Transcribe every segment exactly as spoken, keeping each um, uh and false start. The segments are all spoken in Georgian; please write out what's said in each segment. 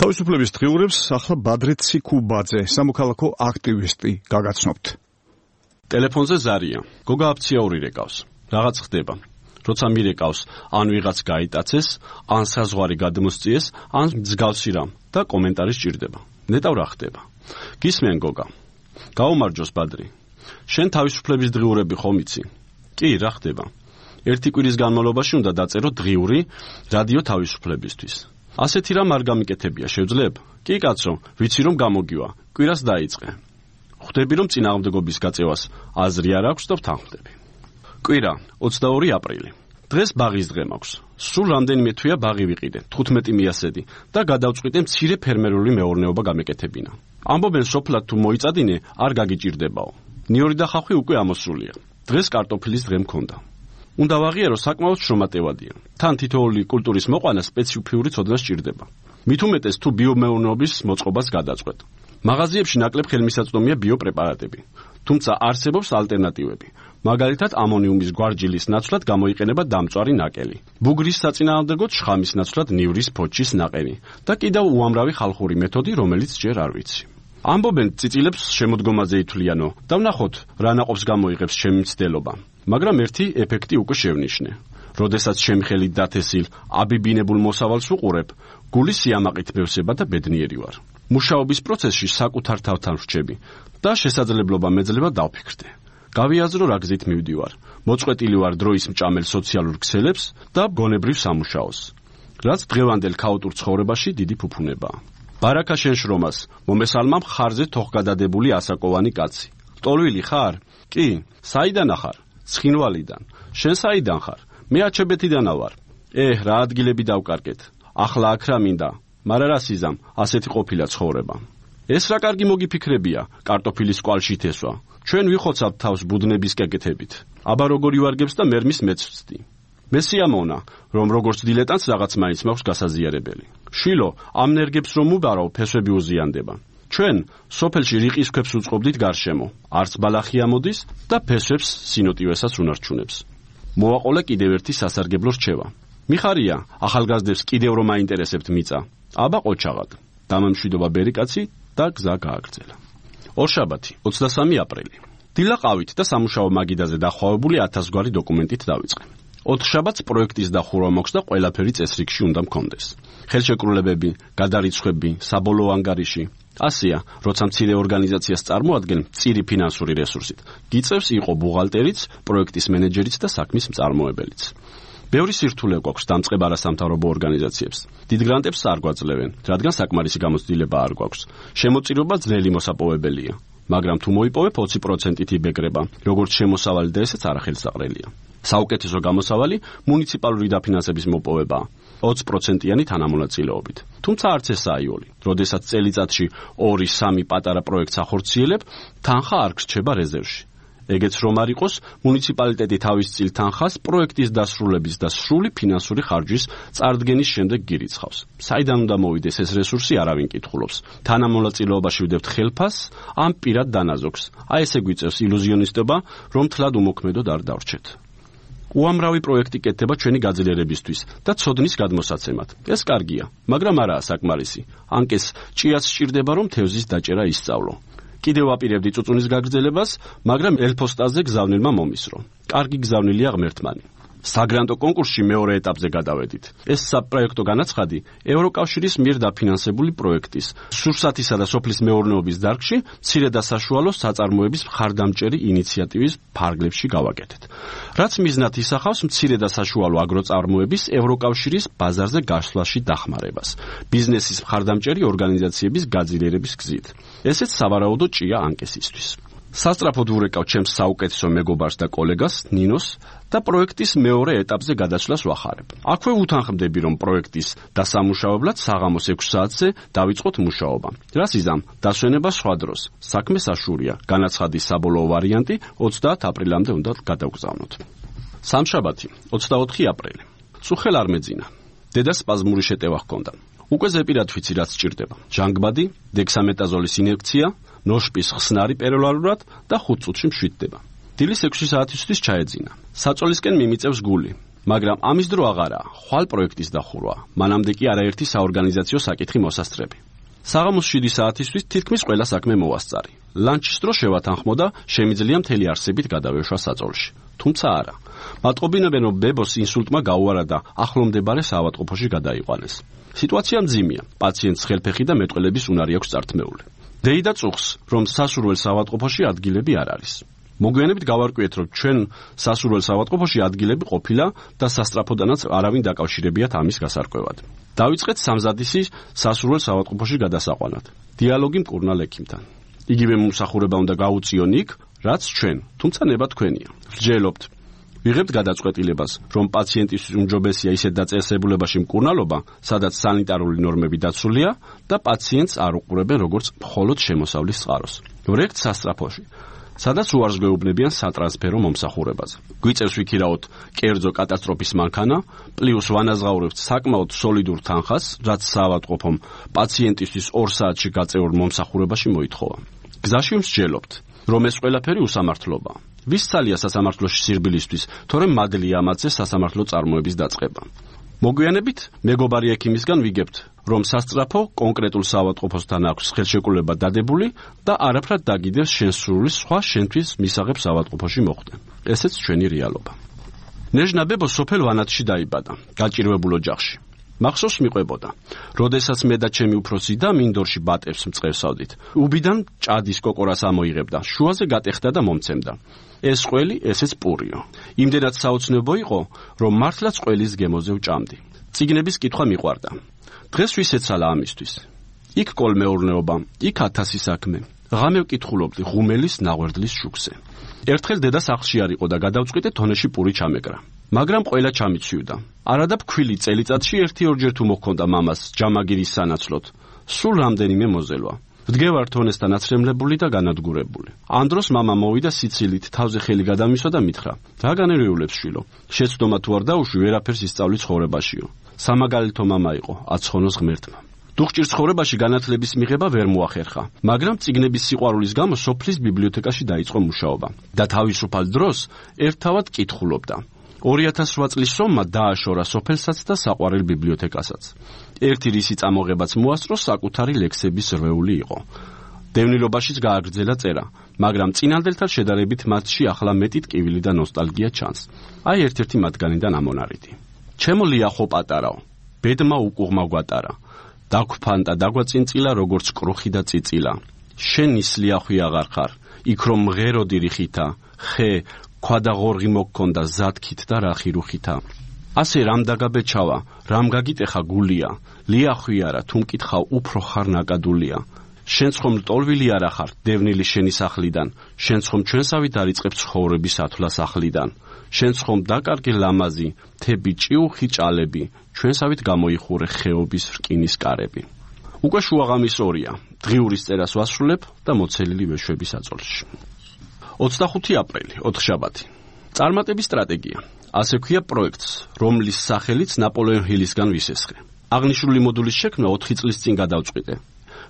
თავისუფლების დღიურებს ახლა ბადრე ციკუბაძე, სამოქალაქო აქტივისტი, გაგაცნობთ. ტელეფონზე ზარია. გოგა აფციაური რეკავს. რაღაც ხდება. როცა მირეკავს, ან ვიღაც გაიტაცეს, ან საზღვარი გადმოსწიეს, ან მსგავსი რამ და კომენტარი სჭირდება. ნეტავ რა ხდება. გისმენ გოგა. გაუმარჯოს ბადრი. შენ თავისუფლების დღიურები ხომ იცი? კი, რა ხდება? ერთი კვირის განმავლობაში უნდა დაწერო დღიური რადიო თავისუფლებისთვის. ასეთი რამ არ გამიკეთებია, შევძლებ? კი კაცო, ვიცი რომ გამოგივა, კვირას დაიწყე. ხვდები რომ წინააღმდეგობის გაწევას აზრი არ აქვს და ვთანხმდები. კვირა, ოცდაორი აპრილი. დღეს ბაღის დღე მაქვს. სულ რამდენიმე თვეა ბაღი ვიყიდე, თხუთმეტი მიასედი და გადავწყვიტე მცირე ფერმერული მეურნეობა გამეკეთებინა. ამბობენ სოფლად თუ მოიწადინე, არ გაგიჭირდებაო. ნიორი და ხახვი უკვე ამოსულია. დღეს კარტოფილის დღე მქონდა. უნდა ვაღიარო საკმაოდ შრომატევადია. თან თითოეული კულტურის მოყვანა სპეციფიური ცოდნა სჭირდება. მით უმეტეს თუ ბიომეურნეობის მოწყობას გადაწყვეტ. მაღაზიებში ნაკლებ ხელმისაწვდომია ბიოპრეპარატები. თუმცა არსებობს ალტერნატივები. მაგალითად ამონიუმის გვარჯილის ნაცვლად გამოიყენება დამწვარი ნაკელი. ბუგრის საწინააღმდეგოდ შხამის ნაცვლად ნივრის ფოჩის ნაყენი და კიდევ უამრავი ხალხური მეთოდი, რომელიც ჯერ არ ვიცი. ამბობენ წიწილებს შემოდგომაზე ითვლიანო და ვნახოთ რა ნაყოფს გამოიღებს ჩემი მცდელობა. მაგრამ ერთი ეფექტი უკვე შევნიშნე. როდესაც ჩემი ხელით დათესილ აბიბინებულ მოსავალს ვუყურებ, გული სიამაყით მევსება და ბედნიერი ვარ. მუშაობის პროცესში საკუთარ თავთან ვრჩები და შესაძლებლობა მეძლება დავფიქრდე. გავიაზრო რა გზით მივდივარ. მოწყვეტილი ვარ დროის მჭამელ სოციალურ ქსელებს და გონებრივ სამუშაოს, რაც დღევანდელ ქაოტურ ცხოვრებაში დიდი ფუფუნებაა. ბარაკა შენ შრომას, მომესალმა მხარზე თოხგადადებული ასაკოვანი კაცი. ტოლვილი ხარ? კი, საიდან ხარ? ცხინვალიდან. შენ საიდან ხარ? მე აჩებეთიდანა ვარ. ეჰ, რა ადგილები დავკარგეთ. ახლა აქ რა მინდა, მაგრამ რა სიზამ, ასეთი ყოფილა ცხოვრება. ეს რა კარგი მოგიფიქრებია, კარტოფილის კვალში თესვა. ჩვენ ვიხოცავთ თავს ბუდნების კეკეთებით. აბა როგორი ვარგებს და მერმის მეცვცდი. მე სიამოვნა, რომ როგორც დილეტანს რაღაც მაინც მაქვს გასაზიარებელი. შვილო, ამ ნერგებს რომ უბარავ, ფესვები უზიანდება. ჩვენ სოფელში რიყის ქვებს უწყობდით გარშემო, არც ბალახი ამოდის და ფესვებს სინოტივესაც უნარჩუნებს. მოვაყოლე კიდევ ერთი სასარგებლო რჩევა. მიხარია, ახალგაზრდებს კიდევ რომ აინტერესებთ მიწა. აბა ყოჩაღად. დამამშვიდობა ბერიკაცი და გზა გააგრძელა. ორშაბათი, ოცდასამი აპრილი. დილაყავით და სამუშაო მაგიდაზე დახვავებული ათასგვარი დოკუმენტით დავიწყე. ოთხშაბათს პროექტის დახურვა მოქვს და ყველაფერი წესრიგში უნდა მქონდეს. ხელშეკრულებები, გადარიცხვები, საბოლოო ანგარიში. ასეა, როცა მცირე ორგანიზაციას წარმოადგენ მწირი ფინანსური რესურსით, გიწევს იყო ბუღალტერიც, პროექტის მენეჯერიც და საქმის მწარმოებელიც. ბევრი სირთულე გვაქვს დამწყებ არასამთავრობო ორგანიზაციებს. დიდ გრანტებს არ გვაძლევენ, რადგან საკმარისი გამოცდილება არ გვაქვს. შემოწირობა ძნელი მოსაპოვებელია, მაგრამ თუ მოიპოვებ ოცი პროცენტით იბეგრება, როგორც შემოსავალი და ესეც არახელსაყრელია. საუკეთესო გამოსავალი მუნიციპალური დაფინანსების მოპოვებაა, ოცი პროცენტიანი თანამონაწილეობით. თუმცა არც ესაა იული. როდესაც წელიწადში ორი სამი პატარა პროექტს ახორციელებ, თანხა არ გრჩება რეზერვში. ეგეც რომ არ იყოს, მუნიციპალიტეტი თავის წილ თანხას პროექტის დასრულების და სრული ფინანსური ხარჯის წარდგენის შემდეგ გირიცხავს. საიდან უნდა მოვიდეს ეს რესურსი, არავინ კითხულობს. თანამონაწილეობაში ვდებთ ხელფას, ამ პირად დანაზოგს. აი ესე გვიწევს ილუზიონისტობა, რომ თლად უმოქმედოდ არ დავრჩეთ. უამრავი პროექტი კეთდება ჩვენი გაძლიერებისთვის და ცოდნის გადმოსაცემად. ეს კარგია, მაგრამ არაა საკმარისი. ანკეს ჭიას სჭირდება, რომ თევზის დაჭერა ისწავლო. კიდევ ვაპირებდი წუწუნის გაგრძელებას, მაგრამ ელფოსტაზე გზავნილმა მომისრო. კარგი გზავნილია ღმერთმანი. საგრანტო კონკურსში მეორე ეტაპზე გადავედით. ეს საპროექტო განაცხადი ევროკავშირის მიერ დაფინანსებული პროექტის სურსათისა და სოფლის მეურნეობის დარგში მცირე და საშუალო საწარმოების მხარდამჭერი ინიციატივის ფარგლებში გავაკეთეთ. რაც მიზნად ისახავს მცირე და საშუალო აგროწარმოების ევროკავშირის ბაზარზე გასვლაში დახმარებას, ბიზნესის მხარდამჭერი ორგანიზაციების გაძლიერების გზით. ესეც სავარაუდო ჭია ანკესისთვის. სასწრაფოდ ვურეკავ ჩემს საუკეთესო მეგობარს და კოლეგას ნინოს და პროექტის მეორე ეტაპზე გადასვლას ვახარებ. აქვე უთანხმდები, რომ პროექტის დასამუშავებლად საღამოს ექვს საათზე დავიწყოთ მუშაობა. რას იზამ, დასვენება სხვა დროს. საქმე საშურია, განაცხადის საბოლოო ვარიანტი ოცდაათ აპრილამდე უნდა გადავგზავნოთ. სამშაბათი, ოცდაოთხი აპრილი. წუხელ არ მეძინა. დედას სპაზმური შეტევა ჰქონდა. უკვე ზეპირად ვიცი რაც სჭირდება. ჟანგბადი, დექსამეტაზოლის ინjekცია, ნოშპის ხსნარი პეროლარულად და ხუთ წუთში მშვიდდება. დილის ექვსი საათისთვის ჩაეძინა. საწოლისკენ მიმიწევს გული. მაგრამ ამის დრო აღარაა, ხვალ პროექტის დახურვა. მანამდე კი არაერთი საორგანიზაციო საკითხი მოსასწრები. საღამოს შვიდი საათისთვის თითქმის ყველა საქმე მოვასწარი. ლანჩის დრო შევათანხმო და შემიძლია მთელი არსებით გადავეშვა საწოლში. თუმცა არა. მატყობინებენ, რომ ბებოს ინსულტმა გაუარა და ახლომდებარე საავადმყოფოში გადაიყვანეს. სიტუაცია მძიმეა. პაციენტს ხელფეხი და მეტყველების უნარი აქვს წართმეული. დეიდა წუხს, რომ სასურველ საავადმყოფოში ადგილები არ არის. მოგვიანებით გავარკვიეთ, რომ ჩვენ სასურველ საავადმყოფოში ადგილები ყოფილა და სასტრაფოდანაც არავინ დაკავშირებიათ ამის გასარკვევად. დავიწყეთ სამზადისი სასურველ საავადმყოფოში გადასაყვანად. დიალოგი მკურნალ ექიმთან. იგივე მომსახურება უნდა გაუწიონ იქ, რაც ჩვენ, თუმცა ნება თქვენია. ვსჯელობთ. ვიღებთ გადაწყვეტილებას, რომ პაციენტისთვის უმჯობესია ისეთ დაწესებულებაში მკურნალობა, სადაც სანიტარული ნორმები დაცულია და პაციენტს არ უყურებენ როგორც მხოლოდ შემოსავლის წყაროს. ვრექთ სასტრაფოში, სადაც უარს გვეუბნებიან სატრანსფერო მომსახურებაზე. გვიწევს ვიქირაოთ კერძო კატასტროფის მანქანა, პლუს ვანაზღაურებთ საკმაოდ სოლიდურ თანხას, რაც საავადმყოფომ პაციენტისთვის ორ საათში გაწევრ მომსახურებაში მოითხოვა. გზაში ვსჯელობთ, რომ ეს ყველაფერი უსამართლობაა. ვის ძალია სასამართლოში სირბილისთვის, თორემ მადლია ამათზე სასამართლო წარმოების დაწყება. მოგვიანებით მეგობარი ექიმისგან ვიგებთ, რომ სასწრაფო კონკრეტულ საავადმყოფოსთან აქვს ხელშეკრულება დადებული და არაფრად დაგიდევს შენს სურვილს სხვა შენთვის მისაღებ საავადმყოფოში მოხვდე. ესეც ჩვენი რეალობა. ნეჟნა ბებო სოფელ ვანათში დაიბადა, გაჭირვებულ ოჯახში. მახსოვს მიყვებოდა, როდესაც მე და ჩემი უფროსი და მინდორში ბატებს მწყევსავდით. უბიდან ჭადის კოკორას ამოიღებდა, შუაზე გატეხდა და მომცემდა. ეს ყველი, ესეც პურიო. იმდენად საოცნებო იყო, რომ მართლაც ყველის გემოზე ვჭამდი. წიგნების კითხვა მიყვარდა. დღეს ვისეცალა ამისთვის. იქ კოლმეურნეობა, იქ ათასი საქმე. ღამე ვკითხულობდი ღუმელის ნაღვერდლის შუქზე. ერთხელ დედა სახლში არ იყო და გადავწყვიტე თონეში პური ჩამეკრა. მაგრამ ყველა ჩამიცვივდა. არადა ფქვილი წელიწადში ერთი-ორჯერ თუ მოჰქონდა მამას ჯამაგირის სანაცვლოდ. სულ რამდენიმე მოზელვა. ვდგევარ თონესთან აცრემლებული და განადგურებული. ამ დროს მამა მოვიდა სიცილით, თავზე ხელი გადამისვა და მითხრა: რა განერეულებს შვილო? შეცდომა თუ არ დაუშვი, ვერაფერს ისწავლი ცხოვრებაშიო. სამაგალითო მამა იყო, აცხონოს ღმერთმა. დუხჭირ ცხოვრებაში განათლების მიღება ვერ მოახერხა, მაგრამ წიგნების სიყვარულის გამო სოფლის ბიბლიოთეკაში დაიწყო მუშაობა და თავისუფალ დროს ერთთავად კითხულობდა. ორი ათას რვა წლის სომმა დააშორა სოფელსაც და საყვარელ ბიბლიოთეკასაც. ერთი რისი წამოღებაც მოასწრო საკუთარი ლექსების რვეული იყო. დევნილობაშიც გააგრძელა წერა, მაგრამ წინანდელთან შედარებით მათში ახლა მეტი ტკივილი და ნოსტალგია ჩანს. აი ერთ-ერთი მათგანიდან ამონარიდი. ჩემო ლიახო პატარაო, ბედმა უკუღმა გვატარა. დაგვფანტა დაგვაწინწილა როგორც კრუხი და წიწილა. შენ ისლიახვი აღარ ხარ, იქ რომ მღეროდი რიხითა, ხე ქვადა ღორღი მოგქონდა ზათქით და რახი რუხითა. ასე რამ დაგაბეჩავა, რამ გაგიტეხა გულია, ლიახვი არა, თუ მკითხავ უფრო ხარ ნაკადულია. შენ ხომ ლტოლვილი არა ხარ, დევნილი შენი სახლიდან, შენ ხომ ჩვენსავი დაიწყებ ცხოვრების ათვლა სახლიდან. შენ ხომ დაკარგი ლამაზი, თები ჭიუხი ჭალები, ჩვენსავით გამოიხურე ხეობის რკინის კარები. უკვე შუაღამის ორია, დღიურის წერას ვასრულებ და მოცელილი ვეშვები საწოლში. ოცდახუთი აპრილი, ოთხშაბათი. წარმატების სტრატეგია. ასე ქვია პროექტს, რომლის სახელიც ნაპოლეონ ჰილისგან ვისესხე. აღნიშნული მოდულის შექმნა ოთხი წლის წინ გადავწყვიტე.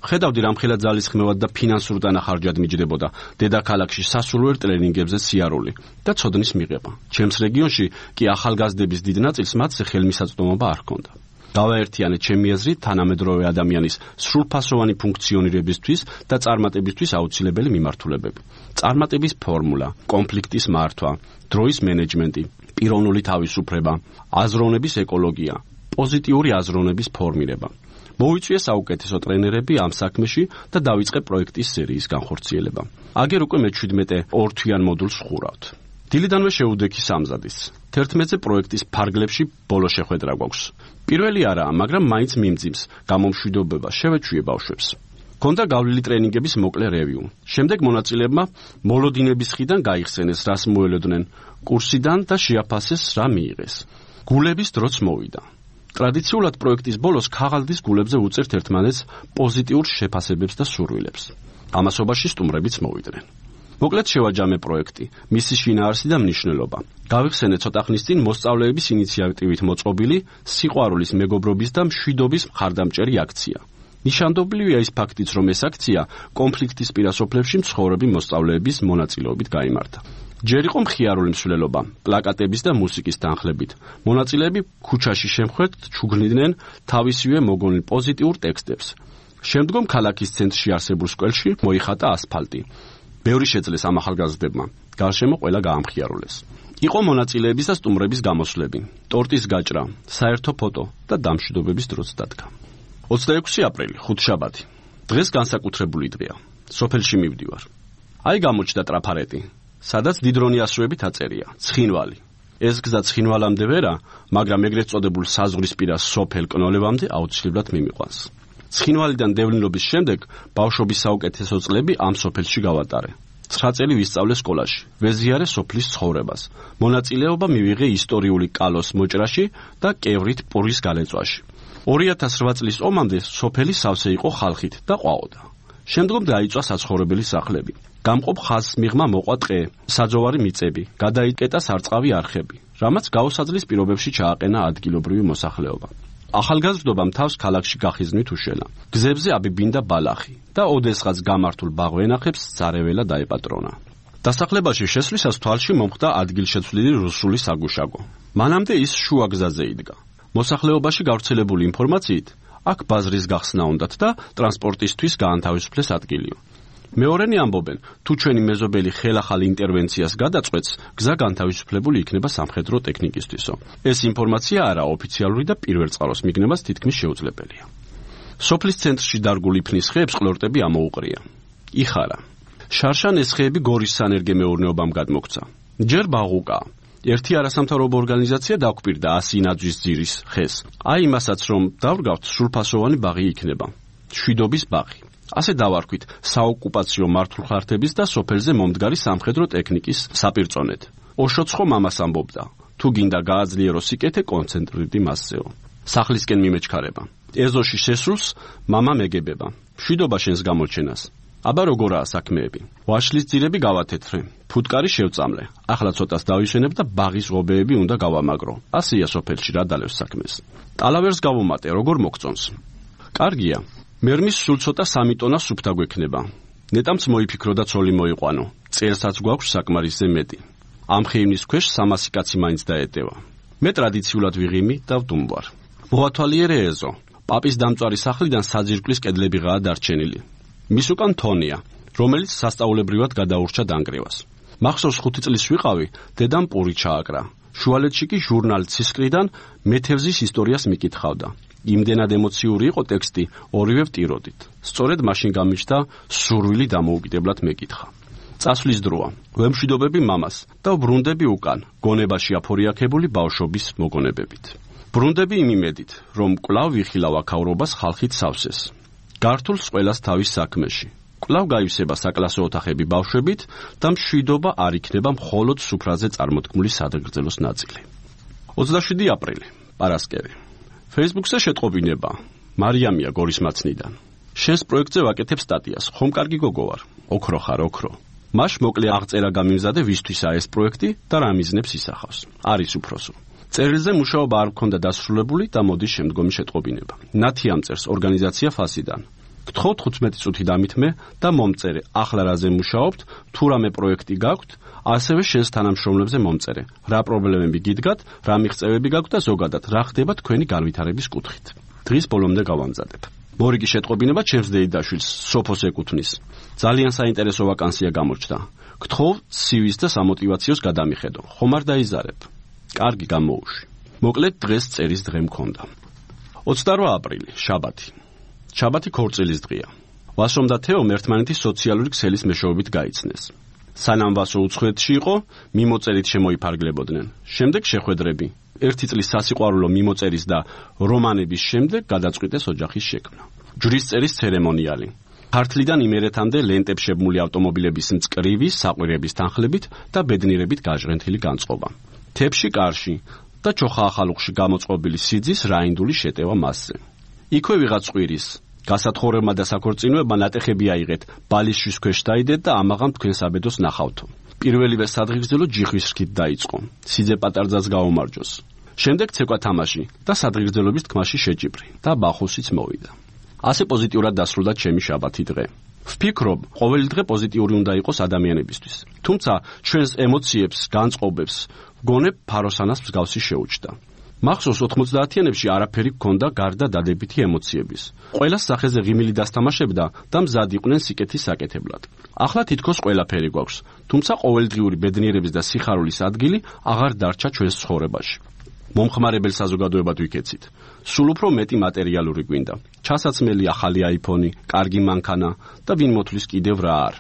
ხედავდი რამხელა ძალისხმევად და ფინანსურ დანახარჯად მიჯდებოდა დედაქალაქში სასულვერ ტრენინგებზე სიარული და ცოდნის მიღება. ჩემს რეგიონში კი ახალგაზრდების დიდ ნაწილს მათზე ხელმისაწვდომობა არ ჰქონდა. დავაერთიანე ჩემი აზრით თანამედროვე ადამიანის სრულფასოვანი ფუნქციონირებისთვის და წარმატებისთვის აუცილებელი მიმართულებები. წარმატების ფორმულა, კონფლიქტის მართვა, დროის მენეჯმენტი, პიროვნული თავისუფლება, აზროვნების ეკოლოგია, პოზიტიური აზროვნების ფორმირება. მოვიწვიე საუკეთესო ტრენერები ამ საქმეში და დავიწყე პროექტის სერიის განხორციელება. აგერ უკვე მეჩვიდმეტე ორთვიან მოდულს ვხურავთ. დილიდანვე შეუდექი სამზადის. თერთმეტზე პროექტის ფარგლებში ბოლო შეხვედრა გვაქვს. პირველი არაა, მაგრამ მაინც მიმძიმს, გამომშვიდობება შევეჩვიე ბავშვებს. ქონდა გავლილი ტრენინგების მოკლე რევიუ. შემდეგ მონაწილეებმა მოლოდინების ხიდან გაიხსენეს, რას მოელოდნენ კურსიდან და შეაფასეს, რა მიიღეს. გულების დროც მოვიდა. ტრადიციულად პროექტის ბოლოს ქაღალდის გულებზე უწერთ ერთმანეთს პოზიტიურ შეფასებებს და სურვილებს. ამასობაში სტუმრებიც მოვიდნენ. მოკლედ შევაჯამე პროექტი, მისი შინაარსი და მნიშვნელობა. გავიხსენე ცოტა ხნის წინ მოსწავლეების ინიციატივით მოწყობილი სიყვარულის, მეგობრობის და მშვიდობის მხარდამჭერი აქცია. ნიშანდობლივია ის ფაქტიც, რომ ეს აქცია კონფლიქტის პირასოფლებში მცხოვრები მოსწავლეების მონაწილეობით გაიმართა. ჯერ იყო მხიარული მსვლელობა, პლაკატების და მუსიკის თანხლებით. მონაწილეები ქუჩაში შემხვერთ ჩუგნიდნენ თავისივე მოგონილ პოზიტიურ ტექსტებს. შემდგომ ქალაქის ცენტრში არსებულ სკველში მოიხატა ასფალტი. ბევრი შეძლეს ამ ახალგაზრდებმა. გარშემო ყველა გაამხიარულეს. იყო მონაწილეების და სტუმრების გამოსვლები, ტორტის გაჭრა, საერთო ფოტო და დამშვიდობების დროც დადგა. ოცდაექვსი აპრილი, ხუთშაბათი. დღეს განსაკუთრებული დღეა. სოფელში მივდივარ. აი გამოჩნდა ტრაფარეტი, სადაც დიდრონი ასოებით აწერია, ცხინვალი. ეს გზა ცხინვალამდე ვერა, მაგრამ ეგრეთ წოდებულ საზღვრისპირა სოფელ კნოლებამდე აუცილებლად მიმიყვანს. ცხინვალიდან დევნილობის შემდეგ ბავშვობის საუკეთესო წლები ამ სოფელში გავატარე. ცხრა წელი ვისწავლე სკოლაში, ვეზიარე სოფლის ცხოვრებას. მონაწილეობა მივიღე ისტორიული კალოს მოჭრაში და კევრით პურის გალეწვაში. ორი ათას რვა წლის ომამდე სოფელი სავსე იყო ხალხით და ყვაოდა. შემდგომ დაიწვა საცხოვრებელი სახლები. გამყოფ ხაზს მიღმა მოყვა ტყე, საძოვარი მიწები, გადაიკეტა სარწყავი არხები, რამაც გაუსაძლის პირობებში ჩააყენა ადგილობრივი მოსახლეობა. ახალგაზრდობამ თავს ქალაქში გახიზნვით უშელა. გზებზე აბიბინდა ბალახი და ოდესღაც გამართულ ბაღვენახებს წარეველა დაეპატრონა. დასახლებაში შესვლისას თვალში მომხდა ადგილშეცვლილი რუსული საგუშაგო. მანამდე ის შუა გზაზე იდგა. მოსახლეობაში გავრცელებული ინფორმაციით, აქ ბაზრის გახსნა უნდათ და ტრანსპორტისთვის გაანთავისუფლეს ადგილიო. მეორენი ამბობენ, თუ ჩვენი მეზობელი ხელახალ ინტერვენციას გადაწყვეტს, გზა განთავისუფლებული იქნება სამხედრო ტექნიკისთვისო. ეს ინფორმაცია არაოფიციალური და პირველწყაროს მიგნებას თითქმის შეუძლებელია. სოფლის ცენტრში დარგული ფნის ხეებს ყლორტები ამოუყრია. იხარა. შარშან ეს ხეები გორის სანერგე მეურნეობამ გადმოქცა. ჯერ ბაღუკა. ერთი არასამთავრობო ორგანიზაცია დაგვპირდა ასი ნაძვის ძირის ხეს. აი იმასაც რომ დავრგავთ, სრულფასოვანი ბაღი იქნება. შვიდობის ბაღი. ასე დავარქვით საოკუპაციო მართლხართების და სოფელზე მომდგარი სამხედრო ტექნიკის საპირწონედ. ოშოცხო მამას ამბობდა, თუ გინდა გააძლიერო სიკეთე, კონცენტრირდი მასზეო. სახლისკენ მიმეჩქარება. ეზოში შესრულს მამა მეგებება. შვიდობა შენს გამოჩენას. აბა როგორაა საქმეები? ვაშლის ძირები გავათეთრე, ფუტკარი შევწამლე. ახლა ცოტას დავიშენებ და ბაღის ღობეები უნდა გავამაგრო. ასეა სოფელში რა დალევს საქმეს. ტალავერს გავუმატე, როგორ მოგწონს? კარგია. მერმის სულ ცოტა სამი ტონა სუფთა გვექნება. ნეტამც მოიფიქრო და ცოლი მოიყვანო. წერსაც გვაქვს საკმარისზე მეტი. ამ ხეივნის ქვეშ სამასი კაცი მაინც დაეტევა. მე ტრადიციულად ვიღიმი და ვდუმბარ. მოათვალიერე ეზო. პაპის დამწვარი სახლიდან საძირკვლის კედლებიღაა დარჩენილი. მის უკან თონია, რომელიც სასწაულებრივად გადაურჩა დანგრევას. მახსოვს ხუთი წლის ვიყავი, დედამ პური ჩააკრა. შუალედში კი ჟურნალ ცისკრიდან მეთევზის ისტორიას მიკითხავდა. იმდენად ემოციური იყო ტექსტი, ორივე ვტიროდით. სწორედ მაშინ გამიჩნდა სურვილი დამოუკიდებლად მეკითხა. წასვლის დროა. ვემშვიდობები მამას და ვბრუნდები უკან, გონებაში აფორიაქებული ბავშვობის მოგონებებით. ბრუნდები იმ იმედით, რომ კვლავ ვიხილავ აქაურობას ხალხით სავსეს. გართულს ყველას თავის საქმეში. კვლავ გაივსება საკლასო ოთახები ბავშვებით და მშვიდობა არ იქნება მხოლოდ სუფრაზე წარმოთქმული სადღეგრძელოს ნაწილი. ოცდაშვიდი აპრილი, პარასკევი. Facebook-ზე შეტყობინება. მარიამია გორის მაცნიდან. შენს პროექტზე ვაკეთებ სტატიას. ხომ კარგი გოგო ვარ? ოქრო ხარ, ოქრო. მაშ მოკლე აღწერა გამიმზადე ვისთვისაა ეს პროექტი და რა მიზნებს ისახავს. არის უფროსო. წერილზე მუშაობა არ მქონდა დასრულებული და მოდის შემდგომი შეტყობინება. ნათი ამწერს ორგანიზაცია ფასიდან. გთხოვთ თხუთმეტი წუთი დამითმე და მომწერე. ახლა რაზე მუშაობთ, თუ რამე პროექტი გაქვთ, ასევე შენს თანამშრომლებზე მომწერე. რა პრობლემები გიდგათ, რა მიღწევები გაქვთ და ზოგადად რა ხდება თქვენი განვითარების კუთხით. დღის ბოლომდე გავამზადებ. მორიგი შეტყობინება ჩემს დეიდაშვილს, სოფოს ეკუთვნის. ძალიან საინტერესო ვაკანსია გამოჩნდა. გთხოვ სი ვის და სამოტივაციოს გადამიხედო. ხომ არ დაიზარებ? კარგი გამოუში. მოკლედ დღეს წერის დღე მქონდა. ოცდარვა აპრილი, შაბათი. შაბათი ქორწილის დღეა. ვასომ და თეომ ერთმანეთის სოციალური ქსელის მეშვეობით გაიცნეს. სანამ ვასო უცხოეთში იყო, მიმოწერით შემოიფარგლებოდნენ. შემდეგ შეხვედრები. ერთი წლის სასიყვარულო მიმოწერის და რომანების შემდეგ გადაწყვიტეს ოჯახის შექმნა. ჯვრის წერის ცერემონიალი. ქართლიდან იმერეთამდე ლენტებს შებმული ავტომობილების მწკრივი საყვირების თანხლებით და ბედნიერებით გაჟღენთილი განწყობა. თებში კარში და ჩოხა ახალუხში გამოწყობილი სიძის რაინდული შეტევა მასზე. იქვე ვიღაც ყვირის. გასათხოვრებმა და საქორწინოებმა ნატეხები აიღეთ, ბალიშვის ქვეშ დაიდეთ და ამაღამ თქვენ საბედოს ნახავთო. პირველივე სადღეგრძელო ჯიხვის რქით დაიწყო. სიძე პატარძას გაუმარჯოს. შემდეგ ცეკვა თამაში და სადღეგრძელობის თქმაში შეჭიბრი და ბახუსიც მოვიდა. ასე პოზიტიურად დასრულდა ჩემი შაბათი დღე. ვფიქრობ, ყოველი დღე პოზიტიური უნდა იყოს ადამიანებისთვის. თუმცა ჩვენს ემოციებს, განწყობებს ვგონებ ფაროსანას მსგავსი შეუჩდა. მახსოვს ოთხმოცდაათიანებში არაფერი გქონდა გარდა დადებითი ემოციების. ყველას სახეზე ღიმილი დასთამაშებდა და მზად იყვნენ სიკეთის საკეთებლად. ახლა თითქოს ყველაფერი გვაქვს, თუმცა ყოველდღიური ბედნიერების და სიხარულის ადგილი აღარ დარჩა ჩვენს ცხოვრებაში. მომხმარებელ საზოგადოებად ვიქეცით. სულ უფრო მეტი მატერიალური გვინდა. ჩასაცმელი ახალი აიფონი, კარგი მანქანა და ვინ მოთვლის კიდევ რა არ.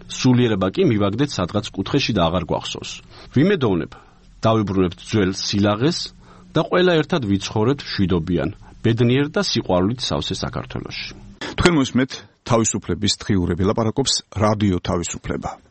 სულიერება კი მივაგდეთ სადღაც კუთხეში და აღარ გვახსოვს. ვიმედოვნებ, დავიბრუნებთ ძველ სილაღეს და ყველა ერთად ვიცხოვრებთ მშვიდობიან, ბედნიერ და სიყვარულით სავსე საქართველოში. თქვენ მოსმენთ თავისუფლების დღიურები, ლაპარაკობს რადიო თავისუფლება.